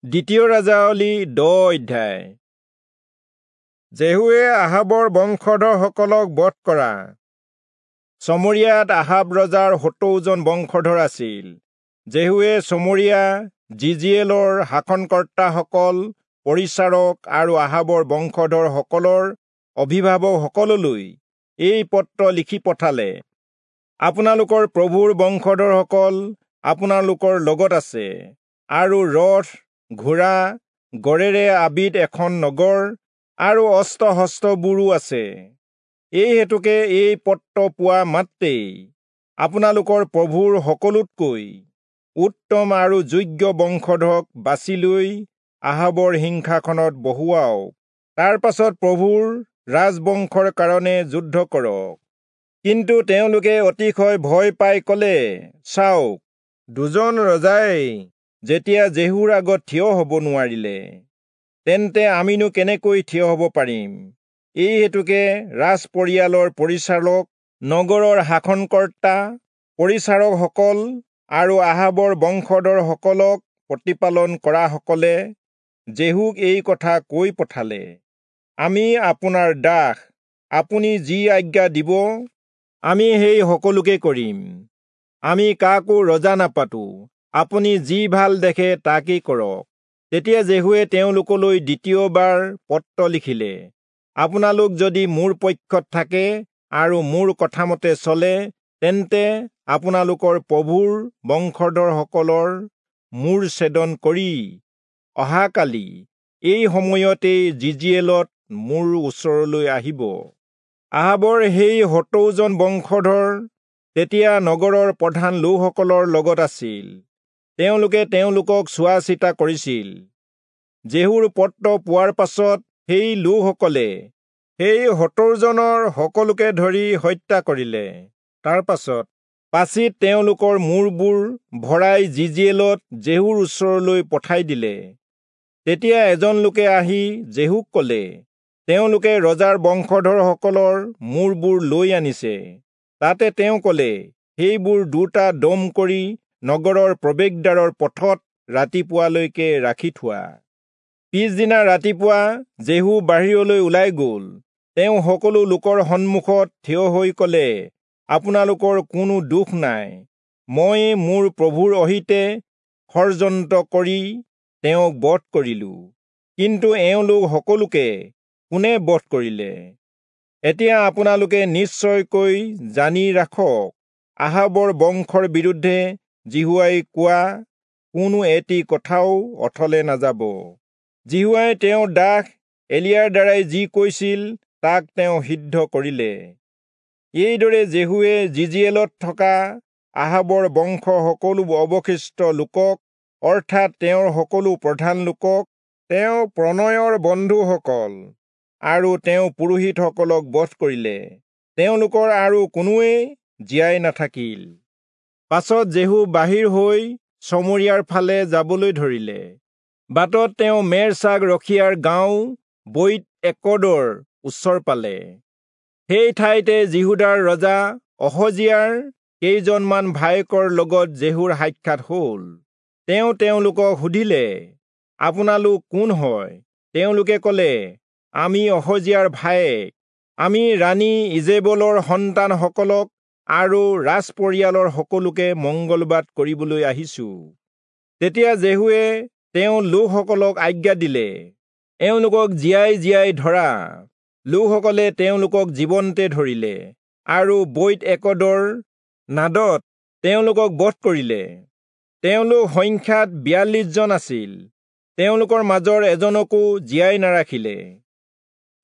দ্বিতীয় ৰাজাৱলী 10 অধ্যায়। জেহুৱে আহাবৰ বংশধৰসকলক বধ কৰা। চমৰিয়াত আহাব ৰজাৰ 70 জন বংশধৰ আছিল। জেহুৱে চমৰিয়া জিজিয়েলৰ শাসনকৰ্তাসকল, পৰিচাৰক আৰু আহাবৰ বংশধৰসকলৰ অভিভাৱকসকললৈ এই পত্ৰ লিখি পঠালে, আপোনালোকৰ প্ৰভুৰ বংশধৰসকল আপোনালোকৰ লগত আছে আৰু ৰথ, ঘোঁৰা, গড়েৰে আবিদ এখন নগৰ আৰু অস্ত্ৰ-শস্ত্ৰবোৰো আছে। এই হেতুকে এই পত্ৰ পোৱা মাত্ৰেই আপোনালোকৰ প্ৰভুৰ সকলোতকৈ উত্তম আৰু যোগ্য বংশধৰক বাছি লৈ আহাবৰ সিংহাসনত বহুৱাওক। তাৰ পাছত প্ৰভুৰ ৰাজবংশৰ কাৰণে যুদ্ধ কৰক। কিন্তু তেওঁলোকে অতিশয় ভয় পাই কলে, চাওক, দুজন ৰজাই যেতিয়া জেহুৰ আগত থিয় হ'ব নোৱাৰিলে, তেন্তে আমিনো কেনেকৈ থিয় হ'ব পাৰিম? এই হেতুকে ৰাজপৰিয়ালৰ পৰিচাৰক, নগৰৰ শাসনকৰ্তা, পৰিচাৰকসকল আৰু আহাবৰ বংশধৰসকলক প্ৰতিপালন কৰাসকলে জেহুক এই কথা কৈ পঠালে, আমি আপোনাৰ দাস, আপুনি যি আজ্ঞা দিব আমি সেই সকলোকে কৰিম। আমি কাকো ৰজা নাপাতো, আপুনি যি ভাল দেখে তাকেই কৰক। তেতিয়া জেহুৱে তেওঁলোকলৈ দ্বিতীয়বাৰ পত্ৰ লিখিলে, আপোনালোক যদি মোৰ পক্ষত থাকে আৰু মোৰ কথামতে চলে, তেন্তে আপোনালোকৰ প্ৰভুৰ বংশধৰসকলৰ মূৰ ছেদন কৰি অহাকালি এই সময়তেই জিজিয়েলত মোৰ ওচৰলৈ আহিব। আহাবৰ সেই 70 জন বংশধৰ তেতিয়া নগৰৰ প্ৰধান লোকসকলৰ লগত আছিল। তেওঁলোকে তেওঁলোকক চোৱা চিতা কৰিছিল। জেহুৰ পত্ৰ পোৱাৰ পাছত সেই লোকসকলে সেই 70 জনৰ সকলোকে ধৰি হত্যা কৰিলে। তাৰ পাছত পাচিত তেওঁলোকৰ মূৰবোৰ ভৰাই জিজিয়েলত জেহুৰ ওচৰলৈ পঠাই দিলে। তেতিয়া এজন লোকে আহি জেহুক কলে, তেওঁলোকে ৰজাৰ বংশধৰসকলৰ মূৰবোৰ লৈ আনিছে। তাতে তেওঁ কলে, সেইবোৰ দুটা দম কৰি নগৰৰ প্ৰৱেশদ্বাৰৰ পথত ৰাতিপুৱালৈকে ৰাখি থোৱা। পিছদিনা ৰাতিপুৱা জেহু বাহিৰলৈ ওলাই গল। তেওঁ সকলো লোকৰ সন্মুখত থিয় হৈ কলে, আপোনালোকৰ কোনো দোষ নাই, মই মোৰ প্ৰভুৰ অহিতে ষড়যন্ত্ৰ কৰি তেওঁক বধ কৰিলো, কিন্তু এওঁলোক সকলোকে কোনে বধ কৰিলে? এতিয়া আপোনালোকে নিশ্চয়কৈ জানি ৰাখক, আহাবৰ বংশৰ বিৰুদ্ধে যিহোৱাই কোৱা কোনো এটি কথাও অথলে নাযাব। যিহোৱাই তেওঁৰ দাস এলিয়াৰ দ্বাৰাই যি কৈছিল তাক তেওঁ সিদ্ধ কৰিলে। এইদৰে জেহুৱে জিজিয়েলত থকা আহাবৰ বংশ সকলো অৱশিষ্ট লোকক, অৰ্থাৎ তেওঁৰ সকলো প্ৰধান লোকক, তেওঁ প্ৰণয়ৰ বন্ধুসকল আৰু তেওঁ পুৰোহিতসকলক বধ কৰিলে। তেওঁলোকৰ আৰু কোনোৱেই জীয়াই নাথাকিল। পাছত জেহু বাহিৰ হৈ চমৰিয়াৰ ফালে যাবলৈ ধৰিলে। বাটত তেওঁ মেৰ ছাগ ৰখীয়াৰ গাঁও বৈত একদৰ ওচৰ পালে। সেই ঠাইতে যিহূদাৰ ৰজা অহজিয়াৰ কেইজনমান ভায়েকৰ লগত জেহুৰ সাক্ষাৎ হ'ল। তেওঁ তেওঁলোকক সুধিলে, আপোনালোক কোন হয়? তেওঁলোকে কলে, আমি অহজিয়াৰ ভায়েক। আমি ৰাণী ইজেবলৰ সন্তানসকলক আৰু ৰাজপৰিয়ালৰ সকলোকে মংগলবাদ কৰিবলৈ আহিছো। তেতিয়া জেহুৱে তেওঁ লোকসকলক আজ্ঞা দিলে, এওঁলোকক জীয়াই জীয়াই ধৰা। লোকসকলে তেওঁলোকক জীৱন্তে ধৰিলে আৰু বৈত একদৰ নাদত তেওঁলোকক বধ কৰিলে। তেওঁলোক সংখ্যাত 42 জন আছিল। তেওঁলোকৰ মাজৰ এজনকো জীয়াই নাৰাখিলে।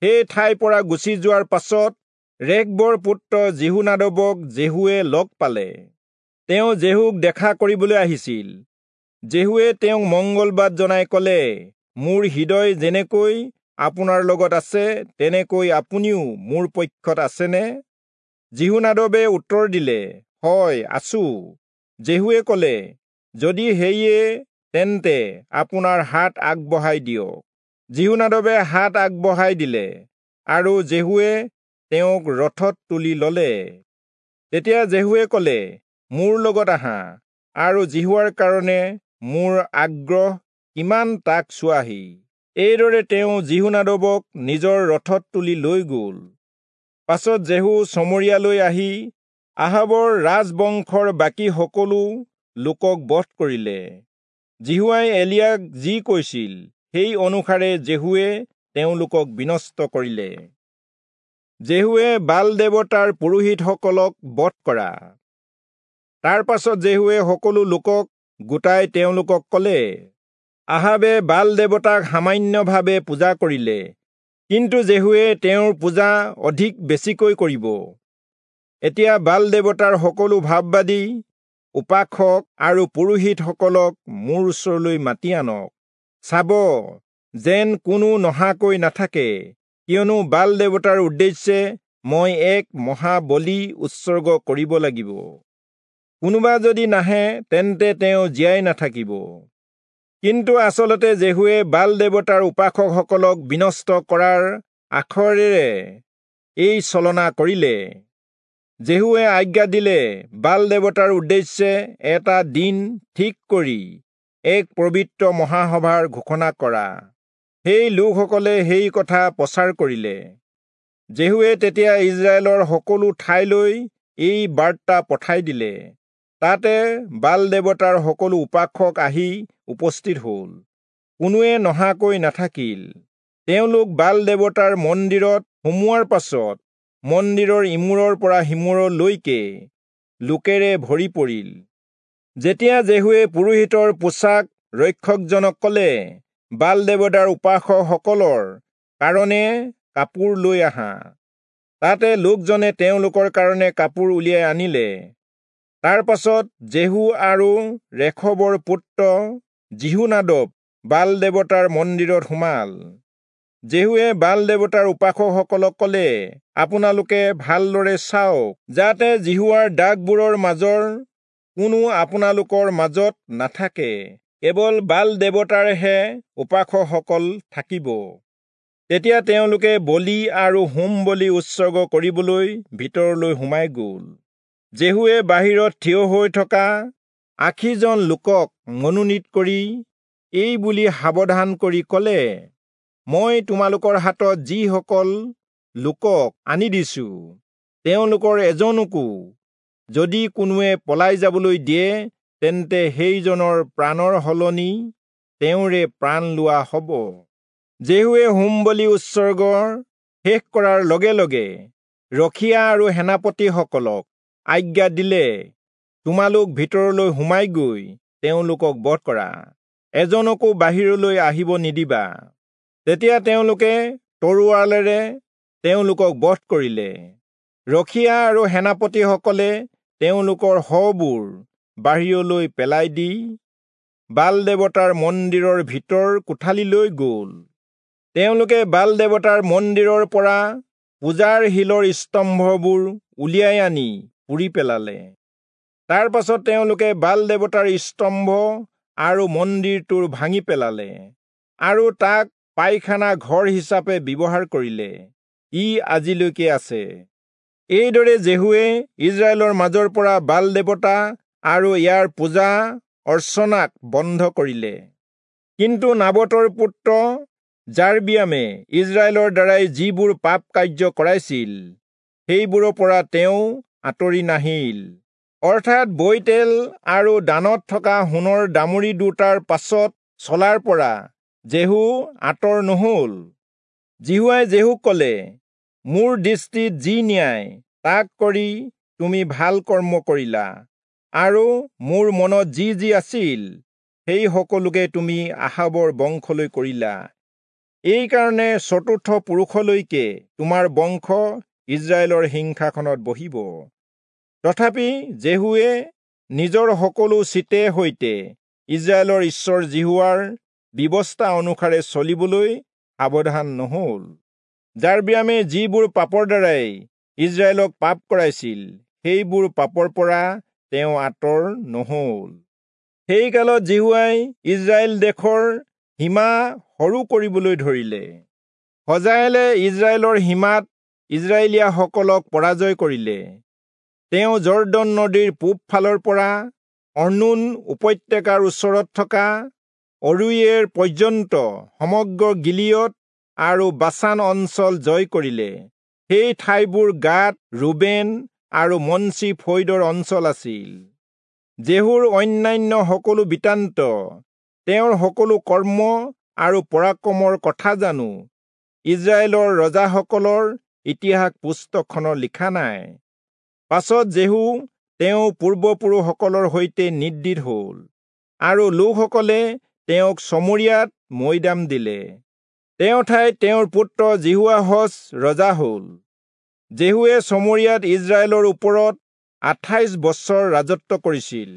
সেই ঠাইৰ পৰা গুচি যোৱাৰ পাছত ৰেখবৰ পুত্ৰ যিহোনাদবক জেহুৱে লগ পালে। তেওঁ জেহুক দেখা কৰিবলৈ আহিছিল। জেহুৱে তেওঁক মংগলবাদ জনাই কলে, মোৰ হৃদয় যেনেকৈ আপোনাৰ লগত আছে, তেনেকৈ আপুনিও মোৰ পক্ষত আছেনে? যিহোনাদবে উত্তৰ দিলে, হয়, আছো। জেহুৱে কলে, যদি সেয়ে তেন্তে আপোনাৰ হাত আগবঢ়াই দিয়ক। যিহোনাদবে হাত আগবঢ়াই দিলে আৰু জেহুৱে তেওঁক ৰথত তুলি ললে। তেতিয়া জেহুৱে কলে, মোৰ লগত আহা আৰু যিহোৱাৰ কাৰণে মোৰ আগ্ৰহ কিমান তাক চোৱাহি। এইদৰে তেওঁ যিহোনাদবক নিজৰ ৰথত তুলি লৈ গ'ল। পাছত যেহু চমৰীয়ালৈ আহি আহাবৰ ৰাজবংশৰ বাকী সকলো লোকক বধ কৰিলে। যিহোৱাই এলিয়াক যি কৈছিল সেই অনুসাৰে যেহুৱে তেওঁলোকক বিনষ্ট কৰিলে। যেহুৱে বাল দেৱতাৰ পুৰোহিতসকলক বধ কৰা। তাৰ পাছত যেহুৱে সকলো লোকক গোটাই তেওঁলোকক ক'লে, আহাবে বাল দেৱতাক সামান্যভাৱে পূজা কৰিলে, কিন্তু যেহুৱে তেওঁৰ পূজা অধিক বেছিকৈ কৰিব। এতিয়া বাল দেৱতাৰ সকলো ভাববাদী, উপাসক আৰু পুৰোহিতসকলক মোৰ ওচৰলৈ মাতি আনক। চাব যেন কোনো নহাকৈ নাথাকে, কিয়নো বাল দেৱতাৰ উদ্দেশ্যে মই এক মহাবলি উৎসৰ্গ কৰিব লাগিব। কোনোবা যদি নাহে তেন্তে তেওঁ জীয়াই নাথাকিব। কিন্তু আচলতে যেহুৱে বাল দেৱতাৰ উপাসকসকলক বিনষ্ট কৰাৰ আখৰেৰে এই ছলনা কৰিলে। যেহুৱে আজ্ঞা দিলে, বাল দেৱতাৰ উদ্দেশ্যে এটা দিন ঠিক কৰি এক পবিত্ৰ মহাসভাৰ ঘোষণা কৰা। সেই লোকসকলে সেই কথা প্ৰচাৰ কৰিলে। যেহুৱে তেতিয়া ইজৰাইলৰ সকলো ঠাইলৈ এই বাৰ্তা পঠাই দিলে। তাতে বাল দেৱতাৰ সকলো উপাসক আহি উপস্থিত হ'ল, কোনোৱে নহাকৈ নাথাকিল। তেওঁলোক বাল দেৱতাৰ মন্দিৰত সোমোৱাৰ পাছত মন্দিৰৰ ইমূৰৰ পৰা সিমূৰলৈকে লোকেৰে ভৰি পৰিল। যেতিয়া যেহুৱে পুৰোহিতৰ পোছাক ৰক্ষকজনক ক'লে, বাল দেৱতাৰ উপাসকসকলৰ কাৰণে কাপোৰ লৈ আহা, তাতে লোকজনে তেওঁলোকৰ কাৰণে কাপোৰ উলিয়াই আনিলে। তাৰ পাছত যেহু আৰু ৰেখবৰ পুত্ৰ যিহোনাদব বাল দেৱতাৰ মন্দিৰত সোমাল। যেহুৱে বাল দেৱতাৰ উপাসকসকলক ক'লে, আপোনালোকে ভালদৰে চাওক যাতে যিহোৱাৰ দাসবোৰৰ মাজৰ কোনো আপোনালোকৰ মাজত নাথাকে, কেৱল বাল দেৱতাৰহে উপাসকসকল থাকিব। তেতিয়া তেওঁলোকে বলি আৰু হোম বলি উৎসৰ্গ কৰিবলৈ ভিতৰলৈ সোমাই গ'ল। যেহুৱে বাহিৰত থিয় হৈ থকা ৮০জন লোকক মনোনীত কৰি এই বুলি সাৱধান কৰি ক'লে, মই তোমালোকৰ হাতত যিসকল লোকক আনি দিছো, তেওঁলোকৰ এজনকো যদি কোনোৱে পলাই যাবলৈ দিয়ে, তেন্তে সেইজনৰ প্ৰাণৰ সলনি তেওঁৰে প্ৰাণ লোৱা হ'ব। যেহুৱে হোম বলি উৎসৰ্গৰ শেষ কৰাৰ লগে লগে ৰখীয়া আৰু সেনাপতিসকলক আজ্ঞা দিলে, তোমালোক ভিতৰলৈ সোমাই গৈ তেওঁলোকক বধ কৰা, এজনকো বাহিৰলৈ আহিব নিদিবা। তেতিয়া তেওঁলোকে তৰোৱালেৰে তেওঁলোকক বধ কৰিলে। ৰখীয়া আৰু সেনাপতিসকলে তেওঁলোকৰ শৱবোৰ বাহিৰলৈ পেলাই দি বাল দেৱতাৰ মন্দিৰৰ ভিতৰ কোঠালিলৈ গ'ল। তেওঁলোকে বাল দেৱতাৰ মন্দিৰৰ পৰা পূজাৰ শিলৰ স্তম্ভবোৰ উলিয়াই আনি পুৰি পেলালে। তাৰ পাছত তেওঁলোকে বাল দেৱতাৰ স্তম্ভ আৰু মন্দিৰটোৰ ভাঙি পেলালে আৰু তাক পায়খানা ঘৰ হিচাপে ব্যৱহাৰ কৰিলে। ই আজিলৈকে আছে। এইদৰে যেহুৱে ইজৰাইলৰ মাজৰ পৰা বাল দেৱতা আৰু ইয়াৰ পূজা অৰ্চনাক বন্ধ কৰিলে। কিন্তু নাবতৰ পুত্ৰ যাৰবিয়ামে ইজৰাইলৰ দ্বাৰাই যিবোৰ পাপ কাৰ্য কৰাইছিল, সেইবোৰৰ পৰা তেওঁ আঁতৰি নাহিল। অৰ্থাৎ বৈতেল আৰু দানত থকা সোণৰ দামুৰি দুটাৰ পাছত চলাৰ পৰা যেহু আঁতৰ নহল। যিহোৱাই যেহুক ক'লে, মোৰ দৃষ্টিত যি ন্যায় তাক কৰি তুমি ভাল কৰ্ম কৰিলা, আৰু মোৰ মনত যি যি আছিল সেই সকলোকে তুমি আহাবৰ বংশলৈ কৰিলা। এইকাৰণে চতুৰ্থ পুৰুষলৈকে তোমাৰ বংশ ইজৰাইলৰ সিংহাসনত বহিব। তথাপি যেহুৱে নিজৰ সকলো চিতে সৈতে ইজৰাইলৰ ঈশ্বৰ যিহোৱাৰ ব্যৱস্থা অনুসাৰে চলিবলৈ সাৱধান নহল। যাৰবিয়ামে যিবোৰ পাপৰ দ্বাৰাই ইজৰাইলক পাপ কৰাইছিল, সেইবোৰ পাপৰ পৰা তেওঁ আঁতৰ নহল। সেই কালত যিহোৱাই ইজৰাইল দেশৰ সীমা সৰু কৰিবলৈ ধৰিলে। হজায়েলে ইজৰাইলৰ সীমাত ইজৰাইলীয়াসকলক পৰাজয় কৰিলে। তেওঁ যৰ্দন নদীৰ পূব ফালৰ পৰা অৰ্ণোন উপত্যকাৰ ওচৰত থকা অৰোয়েৰ পৰ্যন্ত সমগ্ৰ গিলিয়দ আৰু বাচান অঞ্চল জয় কৰিলে। সেই ঠাইবোৰ গাদ, ৰুবেন আৰু মনচি ফৈদৰ অঞ্চল আছিল। জেহুৰ অন্যান্য সকলো বৃত্তান্ত, তেওঁৰ সকলো কৰ্ম আৰু পৰাক্ৰমৰ কথা জানো ইস্ৰায়েলৰ ৰজাসকলৰ ইতিহাস পুস্তকখনত লিখা নাই? পাছত জেহু তেওঁ পূৰ্বপুৰুষসকলৰ সৈতে নিদ্ৰিত হল আৰু লোকসকলে তেওঁক চমৰীয়াত মৈদাম দিলে। তেওঁৰ ঠাইত তেওঁৰ পুত্ৰ যিহোৱাহচ ৰজা হল। জেহুৱে চমৰীয়াত ইস্ৰায়েলৰ ওপৰত 28 বছৰ ৰাজত্ব কৰিছিল।